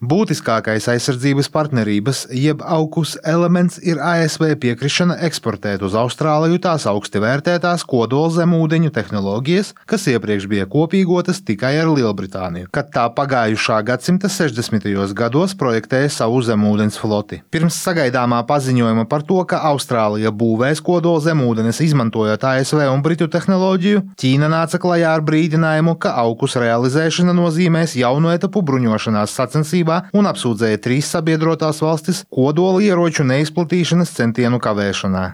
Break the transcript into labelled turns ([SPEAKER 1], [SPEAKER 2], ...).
[SPEAKER 1] Būtiskākais aizsardzības partnerības, jeb AUKUS elements ir ASV piekrišana eksportēt uz Austrāliju tās augsti vērtētās kodolzemūdeņu tehnoloģijas, kas iepriekš bija kopīgotas tikai ar Lielbritāniju, kad tā pagājušā gadsimta 60. gados projektēja savu zemūdens floti. Pirms sagaidāmā paziņojuma par to, ka Austrālija būvēs kodolzemūdenes izmantojot ASV un Britu tehnoloģiju, Ķīna nāca klajā ar brīdinājumu, ka AUKUS realizēšana nozīmēs jaunu etapu bruņošanās sacensībā un apsūdzēja 3 sabiedrotās valstis kodola ieroču neizplatīšanas centienu kavēšanā.